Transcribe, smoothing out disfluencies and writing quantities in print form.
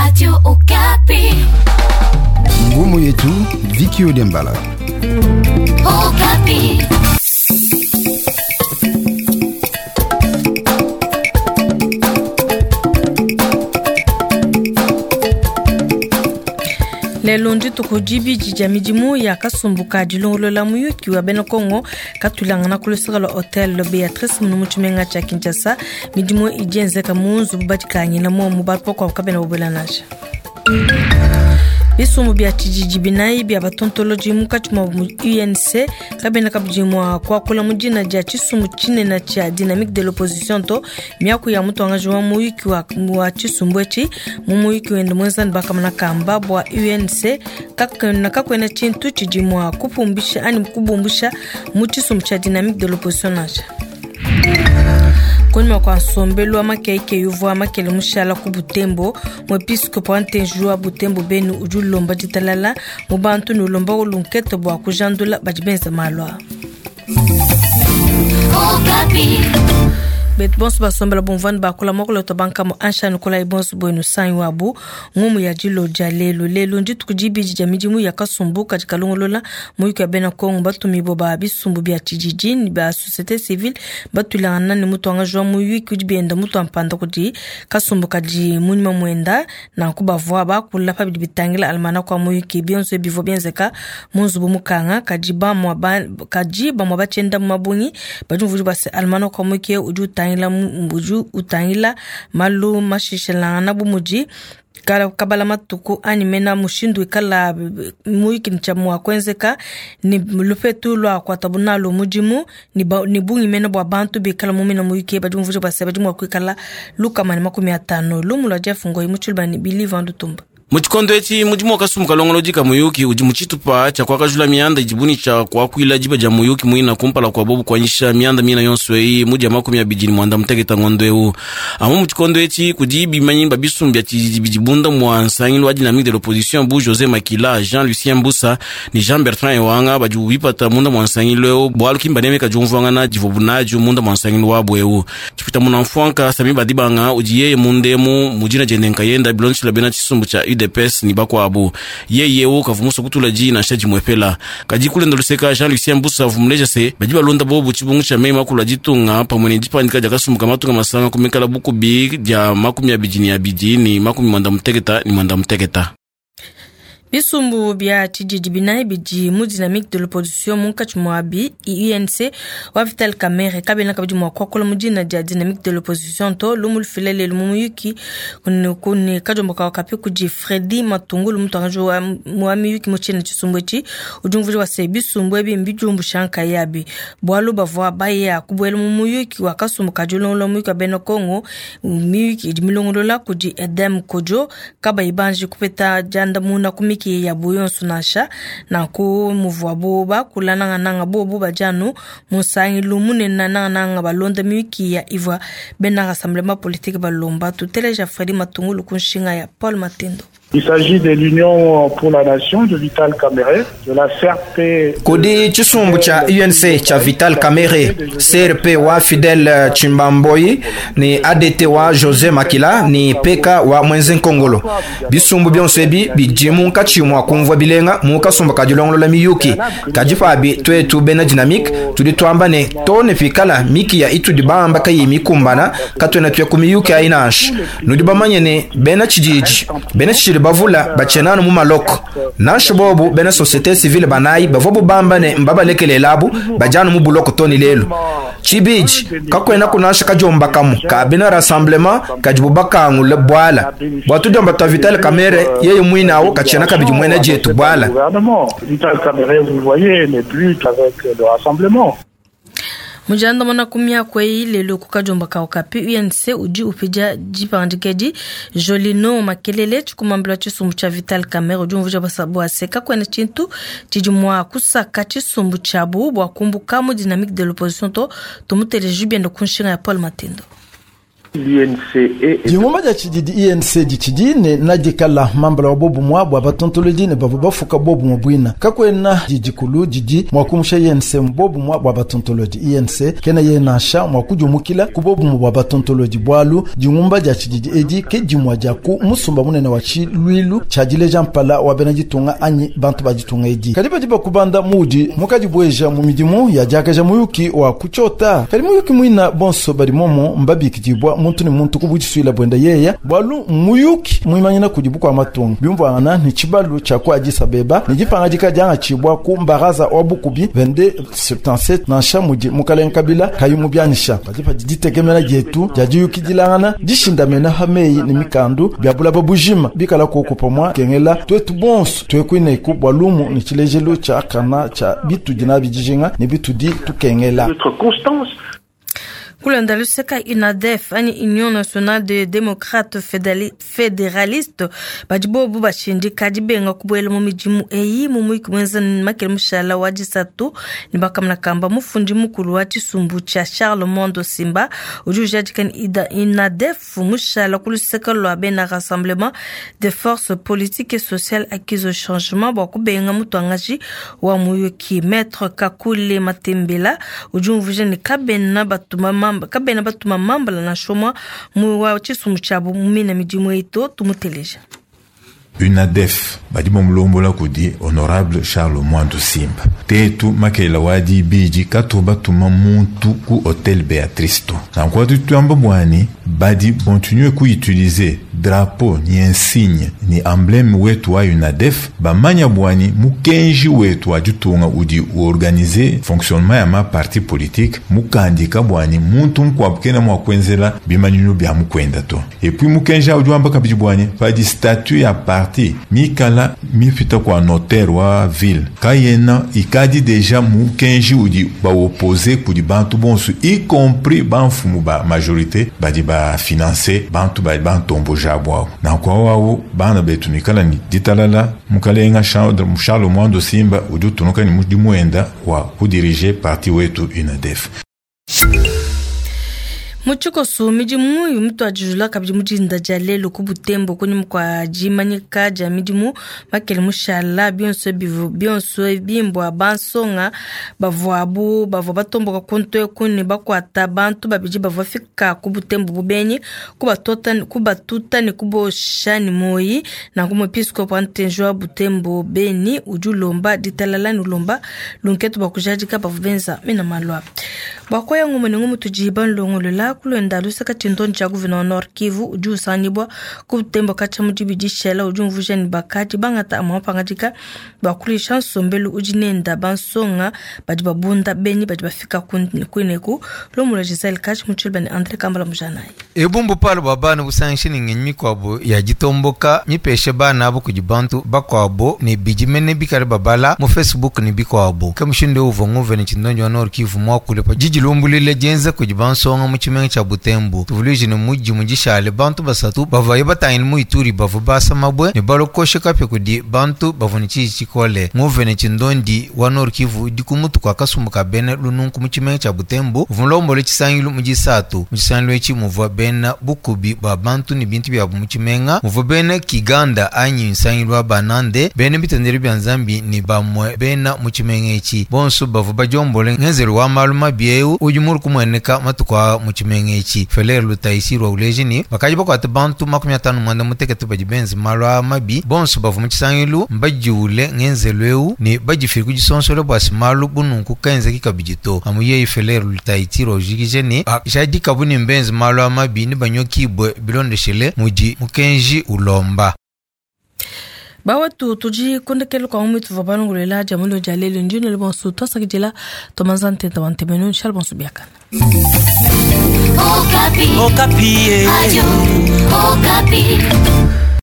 Radio Okapi. Ngumu yetu Viki Odembala. Okapi. Lelo ndituku dibidi dia midimu ya kasumbu ka dilongolola muyuki wa bena Kongo katulangana ku luseke lua Hotel Beatrice munu mu tshimenga tshia Kinshasa. Midimu idi yenzeka mu nzubu badikangila momu, bantu bakuabu kabena babuela nansha. Bisumbu bia tshididi binayi bia batontolodi munkatshi muabu mu UNC kabena kabidi mua kuakula mu dina dia tshisumbu tshinene tshia Dynamique de l'opposition to. Miaku ya mutuangaji wa muyuki wa, wa tshisumbu etshi mu muyuki wende muenza ne bakamana kamba bua UNC kakuena kakuena tshintu tshidi mua kupumbisha anyi kubumbusha mu tshisumbu tshia Dynamique de l'opposition nansha. Kunyima kua nsombelu wa makeikeyi uvua makele mushala ku Butembo, muepiskopo wa Ntenji wa Butembo Beni udi ulomba ditalala mu bantu ne ulomba lunkete bua kujandula badi benza malu aa. Betu bonso basombela bumvua ne bakula muakulu wetu bankamo ansha nukolayi bonso buenu sanyi wabu ngumu ya dilo dia lelu. Lelu ndituku dibidi dia midimu ya kasumbu kadi kalongolola muyuki wa bena Kongo batumibue ba bisumbu bia tshididi ne ba societe civile batuilangana ne mutuangaji wa muyuki udi bienda mutua mpanda kudi kasumbu kadi munyima muenda. Nanku bavua bakula pa bidi bitangila almanaka wa muyuki. Bionso ebi bivua bienzeka mu nzubu mukanga, kadi bamua ba, kadi bamua batshienda mu mabungi badi muvudi bua se almanaka wa muyuki udi utangila udi utangila malu mashishilangana bu mudi kabala matuku anyi mena mushindu wikala muyuki ne tshia mua kuenzeka ne lupetu lua kuatabu nalu mudimu ne bungi mena bua bantu bikala mu mina muyuki badi mumvuija bua se badi mua kuikala 150. Lumu lua Jeff Ngoyi mu Tshiluba ne Billy Van Lutumba. Mu tshikondo etshi, mudimu wa kasumbu kalongolodi ka muyuki udi mu tshitupa tshia kuakajula mianda idibu ne tshia kuakuila diba dia muyuki muina kumpala kua bobu kuanyisha mianda mina yonso eyi mu dia 29 ngondo eu. Amu mu tshikondo etshi, kudi bimanyi ba bisumbu bia tshididi bidi bunda mua nsangilu wa Dynamique de l'opposition bu Jose Makila, Jean-Lucien Mbusa ne Jean-Bertrand Ewanga badibu bipata munda mua nsangilu eu bualu ki mbanemeka diumvuangana divuabu nadio munda mua nsangilu wabu eu. Tshipita munamfuanka Samy Badibanga udi yeye mundemu mu dina diende nkayenda bilondeshila bena tshisumbu tshia UDPS ni bakuabu. Yeye eu kavua musue kutula diyi nansha dimuepela. Kadi kulenda luseka Jean-Lucien Mbusa avua muleja se badi balonda bobu tshibungu tshia meyi makulu a ditunga pamue ne dipandika dia kasumbu ka matunga masanga ku mikala bukubi dia 22 ne 59. Bisumbu bia tshididi binayi bidi mu Dynamique de l'opposition munkatshi muabi UNC wa Vital Kamerhe kabena kabidi mua kuakula mu dina dia Dynamique de l'opposition to. Lumu lufila lelu mu muyuki ne kadiomba ka Okapi kudi Freddy Matungulu mutuangaji wa miyuki mu tshina tshisumbu etshi udi umvuija bua se bisumbu ebi mbidiumbusha nkayabi bualu bavua baya kubuela mu muyuki wa kasumbu ka dilongolola muyuki wa bena Kongo. Miyuki idi milongolola kudi Edem Kodjo kabayi banji kupeta diandamuna ku miki yabu yonso nansha. Nanku muvuabu bakula nangananga bobu badi anu mu nsangilu munene nangananga balonda miyuki ya ivua bena Rassemblement politique balomba. Tuteleja Freddy Matungulu ku nshinga ya Paul Matendo. Il s'agit de l'Union pour la Nation de Vital Kamerhe, de la CRP. Kudi tshisumbu tshia UNC tshia Vital Kamerhe, CRP wa Fidel Chimbamboyi ne ADT wa Jose Makila ne PK wa Mwenze Nkongolo. Bisumbu bionso ebi bidi munkatshi mua kumvua bilenga mu kasumbu ka dilongolola miyuki. Kadi pabi tuetu bena Dynamique tudi tuamba ne to ne pikala mikiya itudi bamba kayi mikumbana katuena tuya ku miyuki ayi nansha. Nudi bamanye ne bena tshididi, bena tshididi bavula batshienanu mu maloko. Nansha bobu bena societe civile banayi bavua bamba ne mbabalekelelabu badianu mu buloko to ne lelu. Tshibidi kakuena kunansha kadiomba kamu ka bena Rassemblement kadibu bakangula buala bua tudiomba tua Vital Kamerhe yeye muine awu katshiena kabidi muena dietu buala. Vital Kamerhe, vous voyez, n'est plus avec le Rassemblement. Mu diandamuna ku miaku eyi lelu ku kadiomba ka Okapi, UNC udi upidia dipangadika edi. Jolino Makelele tshikumambila tshisumbu tshia Vital Kamerhe udi umvuija bua se kakuena tshintu tshidi mua kusaka tshisumbu tshiabu bua kumbuka mu Dynamique de l'opposition to. Tumuteleje biende ku nshinga ya Paul Matendo. Dingumba dia tshididi INC ditshidi ne nadikala mambala wa bobumwa bua batontolodi ne bavua bafuka bobumwa buina. Kakuena didikulu didi mua kumusha INC mu bobumwa bua batontolodi. INC kena ye nansha mua kudiumukila ku bobumwa bua batontolodi bualu dingumba dia tshididi edi ke dimua dia ku musumba munene wa tshiluilu tshia dileja mpala wa bena ditunga anyi bantu ba ditunga edi. Kadi badi bakubanda muudi mukadibueja mu midimu ya diakaja muyuki wa kutshiota. Kadi muyuki muina bonso badi momo mbabikidibua muntu ne muntu ku budisuila buenda yeya bualu muyuki muimanyina kudi bukua matunga biumvuangana ne tshibalu tshia ku Addis Abeba ne dipangadika diangatshibua ku mbaraza wa bukubi 2277 nansha mudi mukalenga Kabila kayi mubianyisha. Padi padi ditekemena dietu dia diyukidilangana dishindamena pa meyi ne mikandu bia bulaba bujima bikala kuoku pamua kengela tuetu bonso tuekuineku bua lumu ne tshilejelu tshia kana tshia bitudi nabi dijinga ne bitudi tukengela. Kulanda luseka UNADEF anyi Union Nationale de Démocrates Fédéralistes badi bobu bashindika dibenga kubuela mu midimu eyi mu muyiki muenza makele mushala wa disatu ne bakamana kamba mufundi mukulu wa tshisumbu tshia Charles Mwando Simba udi ujadika ne UNADEF mushala ku luseka lua bena Rassemblement des forces politiques et sociales acquises au changement bua kubenga mutuangaji wa muyuki Maître Kakule Matembela udi umvuija ne kabena batuma mamba kabena batuma mambala nansha umue mu wa tshisumbu tshiabu mu mina midimu eyi to tumuteleja. UNADEF badi bamulombola kudi honorable Charles Mwando Simba tetu makela wa dibidi katu batuma muntu ku hotel Beatrice to nanku atu tuamba bwani badi continue ku utiliser drapeau ni insigne ni emblème wetu wa UNADEF bamanya bwani mukenji wetu wa ditunga udi uorganiser fonctionnement ya ma parti politique mukandika bwani muntu mukuabu kena mua kuenzela bimanyinu bia mukwenda to et puis mukenji udi wamba kabidi bwani padi statut ya parti mikala mipita kwa notaire wa ville kayena ikadi deja mukenji udi baopose kudi bantu bonso y compris bamfumu ba majorité badi bafinanse bantu badi bantomboja abu nanku awu bana betu nikala ni ditalala mukalenga Charles Mwando Simba udi utunuka ni mudimu wenda wa kudirige parti wetu UNADEF. Mu tshikoso midimu mutuadijula kabidi mu dinda dia lelu ku Butembo kunyima kua dimanyika dia midimu makele mushala bionso bionso bimbwa bansonga bavuabu bavua batomboka kuntu eku ne bakuata bantu babidi bavua fika ku Butembo bubenyi kubatuta ne kubosha ne moyi nanku muepiskopo wa ntenji wa Butembo Beni udi ulomba ditalala ne ulomba lunketu bua kujadika bavua benza mina malu aba. Bua kuya ngumu ne ngumu tudi banlongolola kulwenda luseka tshindondi tshia gouverneur Nord Kivu udi usangibua ku Butembo katshia mu dibidi shela udi umvuija ne bakadi bangata amue mapangadika bua kuluisha nsombelu udi nenda bansonga badi babunda benyi badi bafika kuineku lomula Giselle Kashi mu tshiluba ne André Kambala Mujanayi. Ebumbu palo bua bana busangishi ne ngenyi mikuabu ya ditomboka mipeshe bana abo kudi bantu bakuabu ne bidi mene bikale babala mu Facebook ne bikuabu. Ke mushindu uvua nguvene tshindondi wa Nord Kivu muakule pa didilumbuluila dienza kudi bansonga mu tshimenga tshia Butembo. Tuvuluije ne mudi mudishale bantu basatu bavaye batangile mu Ituri bavua basa mabwe ne balokoshe kapia kudi bantu bavua ne tshiji tshikole. Nguvene tshindondi wa Nord Kivu udi ku mutu kua kasumbu ka bena lununku mu tshimenga tshia Butembo uvua mulombole tshisangilu mu disatu. Mu tshisangilu etshi muvua bena bukubi bua bantu ne bintu biabu mu tshimenga, muvua bena Kiganda anyi nsangilu wa banande, bena bitendelu bia Nzambi ne bamue bena mu tshimenga etshi. Bonso bavua badiombole ngenzelu wa malu mabi eu udi mulu kumueneka matuku aa mu tshimenga etshi. Feler Lutaisirwa uleja ne bakadi bakuate bantu 58 badi benze malu aa mabi. Bonso bavua mu tshisangilu mbadiule ngenzelu eu ne badifile ku disonsola bua se malu bununku kaenzeki kabidi to. Amu yeye Feler Lutaisirwa ujikije ne bajadikabu ne mbenze malu aa mabi ne banyokibue bilondeshele mudi mukenji ulomba. Bawetu tudi kondekelo kwa mwitu tuvua balongolela dia mulio dia lelu ndino le bonso twasakidila tomanza ntenta wa ntemenu nshala bonso biakana. Okapi. Okapi. Radio Okapi.